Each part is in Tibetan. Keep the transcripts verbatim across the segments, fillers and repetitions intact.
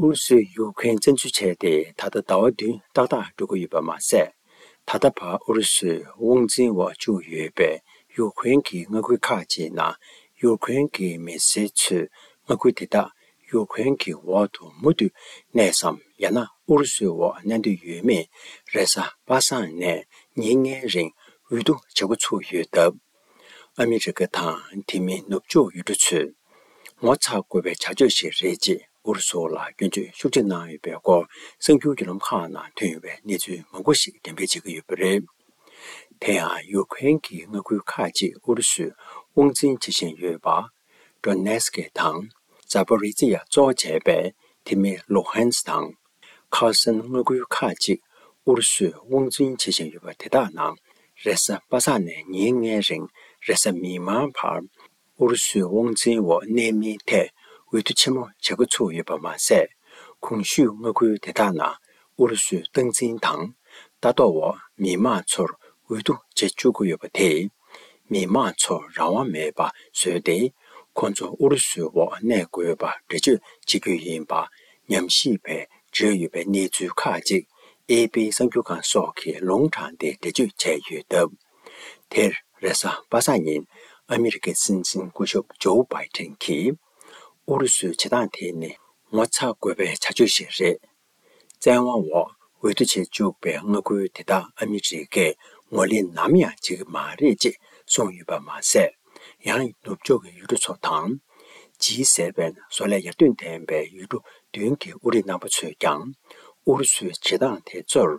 ཨུ་རུ་སུས་ཡུཀ་རེན་བཙན་འཛུལ་བྱས་ཏེ་ད་ལྟ་ཟླ་བ་བདུན་ཏག་ཏག་འགྲོ་གི་ཡོད་པ་མ་ཟད། ད་ལྟ་བར་ཨུ་རུ་སུའི་དབང་འཛིན་འོག་བཅུག་ཡོད་པའི་ཡུཀ་རེན་གྱི་མངའ་ཁུལ་ཁག་ཅིག་ནང་ཡུཀ་རེན་གྱི་མི་སེར་ཚོས་མངའ་ཁུལ་དེ་དག་ཡུཀ་རེན་གྱི་འོག་ཏུ་མུ་མཐུད་གནས་སམ། ཡང་ན་ཨུ་རུ་སུའི་འོག་གནས་འདོད་ཡོད་མེད་རེས་གཟའ་པ་སངས་ནས་ཉིན་ལྔའི་རིང་འོས་བསྡུ་བྱེད་འགོ་ཚུགས་ཡོད་སྟབས། ཨ་མི་རི་ཀ་དང་དེ་མིན་ནུབ་ཕྱོགས་ཡུལ་གྲུ་ཚོས་ངོ་ཚ་དགོས་པའི་བྱ་སྤྱོད་ཞིག་རེད་ཅེས་ཨུ་རུ་སུ་ལ་སྐྱོན་བརྗོད་ཤུགས་ཆེ་གནང་ཡོད་པའི་སྐོར་གསར་འགྱུར་བརྒྱུད་ལམ་ཁག་ནང་ཐོན་ཡོད་པའི་གནས་ཚུལ་མང་པོ་ཞིག་འགྲེམས་སྤེལ་བྱེད་ཀྱི་ཡོད་པ་རེད། དེ་ཡང་ཡུཀ་རེན་གྱི་མངའ་ཁུལ་ཁག་ཅིག་ཨུ་རུ་སུས་དབང་འཛིན་བྱེད་བཞིན་ཡོད་པ། ཌོ་ནེ་སི་ཀི་དང་ཛ་པོ་རི་ཛི་ཡ་གཙོ་བྱས་པའི་དེ་མིན་ལུ་ཧན་སི་དང་། ཁར་སན་མངའ་ཁུལ་ཁག་ཅིག་ཨུ་རུ་སུས་དབང་འཛིན་བྱེད་བཞིན་ཡོད་པ་དེ་དག་ནང་རེས་གཟའ་པ་སངས་ནས་ཉིན་ལྔའི་རིང་རེས་གཟའ་མིག་དམར་བར་ཨུ་རུ་སུའི་དབང་འཛིན་འོག་གནས་མིན་ཐད་འོས་བསྡུ་ཆེན་མོ་བྱེད་འགོ་ཚུགས་ཡོད་པ་མ་ཟད། གོང་ཞུས་མངའ་ཁུལ་དེ་དག་ནང་ཨུ་རུ་སུའི་སྟངས་འཛིན་དང་ལྟ་རྟོག་འོག་མི་མང་ཚོར་འོས་བསྡུ་བྱེད་བཅུག་གི་ཡོད་པ་དེས། མི་མང་ཚོར་རང་དབང་མེད་པ་བཟོས་ཏེ། ཁོང་ཚོ་ཨུ་རུ་སུའི་འོག་གནས་དགོས་པ་འགྲེལ་བརྗོད་བྱེད་རྒྱུ་ཡིན་པ་ཉམས་ཞིབ་པས་བརྗོད་ཡོད་པའི་གནས་ཚུལ་ཁག་ཅིག་ཨེ་པི་གསར་འགྱུར་ཁང་སོགས་ཀྱིས་ལུང་དྲངས་ཏེ་འགྲེལ་བརྗོད་བྱས་ཡོད་སྟབས། དེར་རེས་གཟའ་པ་སངས་ཉིན་ཨ་མི་རི་ཀའི་སྲིད་འཛིན་སྐུ་ཞབས་ཇོ་བྷའི་ཏིན་གྱིས། ཨུ་རུ་སུའི་བྱེད་སྟངས་དེ་ནི་ངོ་ཚ་དགོས་པའི་བྱ་སྤྱོད་ཞིག་རེད། བཙན་དབང་འོག་འོས་བསྡུ་བྱེད་བཅུག་པའི་མངའ་ཁུལ་དེ་དག་ཨ་མི་རི་ཀས་ངོས་ལེན་ནམ་ཡང་བྱེད་ཀྱི་མ་རེད་ཅེས་གསུངས་ཡོད་པ་མ་ཟད། ཡང་ནུབ་ཕྱོགས་ཀྱི་ཡུལ་གྲུ་ཚོ་དང་། ཇི་སེ་ཝེན་བཟོ་ལས་ཡར་ཐོན་ལྡན་པའི་ཡུལ་གྲུ་བདུན་གྱི་དབུ་ཁྲིད་རྣམ་པ་ཚོས་ཀྱང་ཨུ་རུ་སུའི་བྱེད་སྟངས་དེ་ཚོར་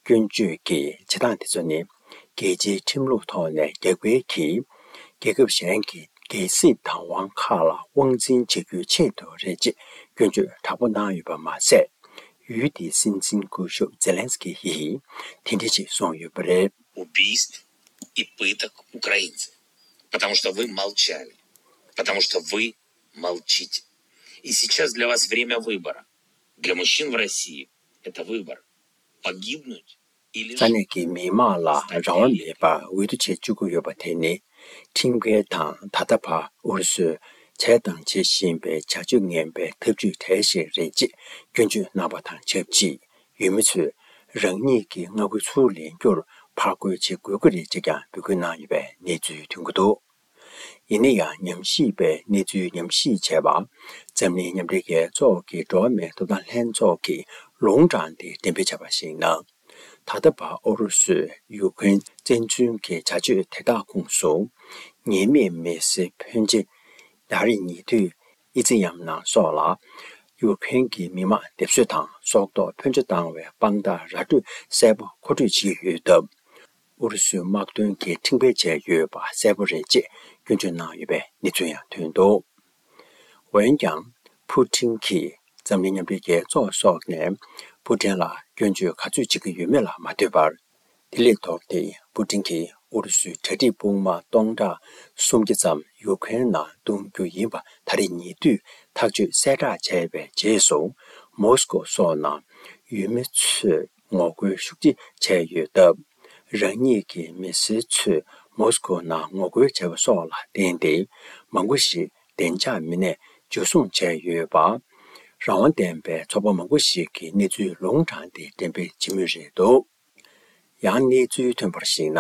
སྐྱོན་བརྗོད་ཀྱིས་བྱེད་སྟངས་དེ་ཚོ་ནི་རྒྱལ་སྤྱིའི་ཁྲིམས་ལུགས་ཐོག་ནས་རྒྱབ་འགལ་གྱིས་རྒྱལ་ཁབ་གཞན་གྱི་རྒྱལ་སྲིད་བདག་དབང་ཁག་ལ་དབང་འཛིན་བྱེད་རྒྱུའི་ཆེད་དུ་རེད་ཅེས་སྐྱོན་བརྗོད་དྲག་པོ་གནང་ཡོད་པ་མ་ཟད། ཡུལ་དེའི་སྲིད་འཛིན་སྐུ་ཞབས་ཛེ་ལན་སི་ཀི་ཡིས་དེ་འདྲ་ཞིག་གསུངས་ཡོད་པ་རེད། убийств и пыток украинцев, потому что вы молчали, потому что вы молчите. И сейчас для вас время выбора. Для мужчин в России это выбор. Погибнуть или ས་གནས་ཀྱི་མི་མང་ལ་རང་དབང་མེད་པར་འོས་བསྡུ་བྱེད་བཅུག་གི་ཡོད་པ་དེ་ནི། ཁྲིམས་འགལ་དང་ད་ལྟ་བར་ཨུ་རུ་སུས་བྱས་དང་བྱེད་བཞིན་པའི་བྱ་སྤྱོད་ངན་པའི་ཐབས་ཇུས་གྲས་ཤིག་རེད་ཅེས་སྐྱོན་བརྗོད་གནང་བ་དང་ཆབས་ཅིག་ཡུལ་མི་ཚོས་རང་ཉིད་ཀྱི་མངའ་ཁུལ་ཚུར་ལེན་རྒྱུར་ཕར་རྒོལ་བྱེད་དགོས་ཀྱི་རེད་ཅེས་ཀྱང་འབོད་སྐུལ་གནང་ཡོད་པའི་གནས་ཚུལ་ཐོན་གྱི་འདུག་ཡིན་ན་ཡང་ཉམས་ཞིབ་པས་གནས་ཚུལ་ཉམས་ཞིབ་བྱས་པ། འཛམ་གླིང་མཉམ་འབྲེལ་རྒྱལ་ཚོགས་ཀྱི་འགྲོ་བ་མིའི་ཐོབ་ཐང་ལྷན་ཚོགས་ཀྱིས་ལུང་དྲངས་ཏེ་འགྲེམས་སྤེལ་བྱས་པར་གཞིགས་ན། ད་ལྟ་བར་ཨུ་རུ་སུས་ཡུཀ་རེན་བཙན་འཛུལ་གྱི་བྱ་སྤྱོད་དེ་དག་ཁོངས་སུ། ཉེས་མེད་མི་སེར་ཕོན་ཆེ་ད་རེས་ཉེ་དུས་ཨི་ཙི་ཡམ་ནང་སོགས་ལ་ཡུཀ་རེན་གྱི་མི་མང་སྡེབ་གསོད་དང་སྲོག་ཐོག་ཕོན་ཆེ་བཏང་བའི་དཔང་རྟགས་ར་སྤྲོད་གསལ་པོ་མཁོ་སྤྲོད་བྱེད་ཀྱི་ཡོད་སྟབས། ཨུ་རུ་སུའི་དམག་དོན་གྱིས་ཁྲིམས་འགལ་བྱས་ཡོད་པ་གསལ་པོ་རེད་ཅེས་སྐྱོན་བརྗོད་གནང་ཡོད་པའི་གནས་ཚུལ་ཡང་ཐོན་འདུག་འོན་ཀྱང་། ཕུ་ཊིན་གྱིས་འཛམ་གླིང་མཉམ་འབྲེལ་རྒྱལ་ཚོགས་སོགས་ནས་ཕུ་ཊིན་ལ་སྐྱོན་བརྗོད་ག་ཚོད་བྱེད་ཀྱི་ཡོད་མེད་ལ་མ་ལྟོས་པར། དེ་ལས་ལྡོག་སྟེ་ཕུ་ཊིན་གྱིས་ཨུ་རུ་སུའི་གྲ་སྒྲིག་དཔུང་དམག་སྟོང་ཕྲག་སུམ་བརྒྱ་ཙམ་ཡུཀ་རེན་ནང་གཏོང་རྒྱུ་ཡིན་པ་ད་རེས་ཉེ་དུས་ཐག་གཅོད་གསལ་བསྒྲགས་བྱས་པའི་རྗེས་སུ། མོ་སི་ཀོ་སོགས་ནང་ཡུལ་མི་ཚོས་ངོ་རྒོལ་ཤུགས་ཆེ་བྱས་ཡོད་སྟབས། རང་ཉིད་ཀྱི་མི་སེར་ཚོས་མོ་སི་ཀོ་ནང་ངོ་རྒོལ་བྱས་པ་སོགས་ལ་བརྟེན་ཏེ། མང་པོ་ཞིག་བདེ་འཇགས་མི་སྣས་འཇུ་བཟུང་བྱས་ཡོད་པ། རང་དབང་ལྡན་པའི་ཚོགས་པ་མང་པོ་ཞིག་གིས་གནས་ཚུལ་ལུང་དྲངས་ཏེ་འགྲེམས་སྤེལ་བྱེད་མུས་རེད་འདུག་ཡང་གནས་ཚུལ་ཐོན་པར་གཞིགས་ན།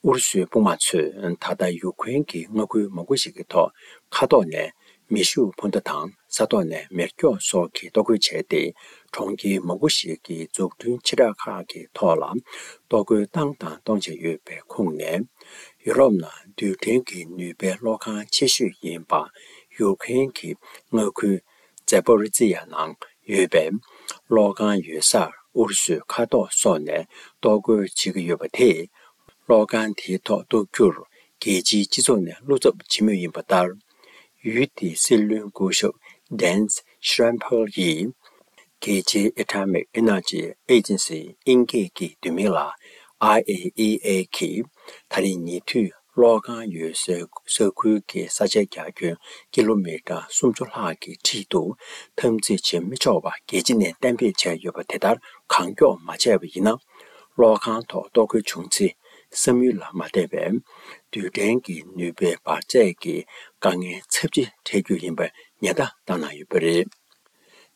ཨུ་རུ་སུའི་དཔུང་དམག་ཚོས་ད་ལྟ་ཡུཀ་རེན་གྱི་མངའ་ཁུལ་མང་པོ་ཞིག་གི་ཐོག་མཁའ་ཐོག་ནས་མེ་ཤུགས་འཕུར་མདའ་དང་ས་ཐོག་ནས་མེ་སྒྱོགས་སོགས་ཀྱིས་གཏོར་རྒོལ་བྱས་ཏེ། གྲོང་ཁྱེར་མང་པོ་ཞིག་གི་འཛུགས་སྐྲུན་ཆེ་ཕྲ་ཁག་གི་ཐོག་ལ་གཏོར་རྒོལ་བཏང་དང་གཏོང་བཞིན་ཡོད་པའི་ཁོངས་ནས། ཡུ་རོབ་ནང་རྡུལ་ཕྲན་གྱི་ནུས་པའི་གློག་ཁང་ཆེ་ཤོས་ཡིན་པ་ཡུཀ་རེན་གྱི་མངའ་ཁུལ་ཛེ་པོ་རི་ཛི་ཡ་ནང་ཡོད་པའི་གློག་ཁང་ཡོད་སར་ཨུ་རུ་སུས་མཁའ་ཐོག་སོགས་ནས་གཏོར་རྒོལ་བྱེད་ཀྱི་ཡོད་པ་དེས། གློག་ཁང་དེའི་ཐོག་གཏོར་རྒྱུར་རྒྱལ་སྤྱིའི་སྤྱི་ཚོགས་ནས་བློ་འཚབ་བྱེད་མུས་ཡིན་པ་ལྟར། ཡུལ་དེའི་སྲིད་བློན་སྐུ་ཞབས་ཌེན་ཤྲན་ཕལ་ཡིས། རྒྱལ་སྤྱིའི་Atomic Energy Agency དབྱིན་སྐད་ཀྱི་བསྡུས་མིང་ལ་I A E A གིས་ད་རེས་ཉེ་དུས་གློག་ཁང་ཡོད་སའི་ས་ཁུལ་གྱི་ས་ཆའི་རྒྱ་ཁྱོན་ཀི་ལོ་མི་ཊར་སུམ་ཅུ་ལྷག་གི་འཁྲིས་སུ་འཐབ་འཛིང་བྱེད་མི་ཆོག་པ་རྒྱལ་སྤྱི་ནས་གཏན་འབེབས་བྱས་ཡོད་པ་དེ་ལྟར་གང་མགྱོགས་མ་བྱས་པ་ཡིན་ན། གློག་ཁང་ཐོག་གཏོར་རྒོལ་བྱུང་ཚེ། བསམ་ཡུལ་ལ་མ་བལྟས་པའི་རྡུལ་ཕྲན་གྱི་ནུས་པའི་འབར་རྫས་ཀྱི་དཀའ་ངལ་ཚབས་ཆེ་འཕྲད་རྒྱུ་ཡིན་པའི་ཉེན་བརྡ་བཏང་གནང་ཡོད་པ་རེད།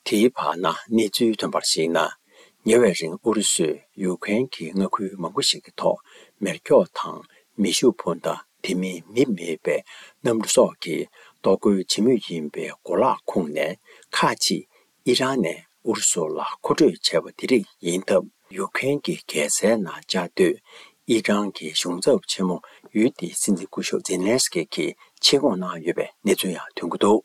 དེའི་བར་ན་གནས་ཚུལ་ཐོན་པར་གཞིགས་ན། ཉེ་བའི་རིང་ཨུ་རུ་སུས་ཡུཀ་རེན་གྱི་མངའ་ཁུལ་མང་པོ་ཞིག་གི་ཐོག་མེ་སྒྱོགས་དང་མེ་ཤུགས་འཕུར་མདའ། དེ་མིན་མིས་མེད་པའི་གནམ་གྲུ་སོགས་ཀྱིས་གཏོར་རྒོལ་བྱེད་མུས་ཡིན་པའི་གོ་ལག་ཁུངས་ནས། ཁག་ཅིག་ཨི་རན་ནས་ཨུ་རུ་སུ་ལ་མཁོ་སྤྲོད་བྱས་པ་དེ་རིགས་ཡིན་སྟབས། ཡུཀ་རེན་གྱི་རྒྱལ་སའི་ནང་བཅའ་སྡོད་ཨི་རན་གྱི་གཞུང་ཚབ་ཆེན་མོ་ཡུལ་དེའི་སྲིད་འཛིན་སྐུ་ཞབས་ཛེ་ལན་སི་ཀི་གིས་ཆེད་བསྐོང་གནང་ཡོད་པའི་གནས་ཚུལ་ཡང་ཐོན་གྱི་འདུག།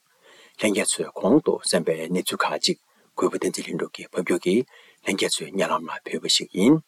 ལྷན་རྒྱས་ཚོས་གོང་དུ་གསན་པའི་གནས་ཚུལ་ཁག་ཅིག་གུས་པ་བསྟན་འཛིན་ལྷུན་གྲུབ་ཀྱིས་ཕབ་སྒྱུར་གྱིས་ལྷན་རྒྱས་ཚོའི་སྙན་ལམ་ལ་ཕུལ་བ་ཞིག་ཡིན།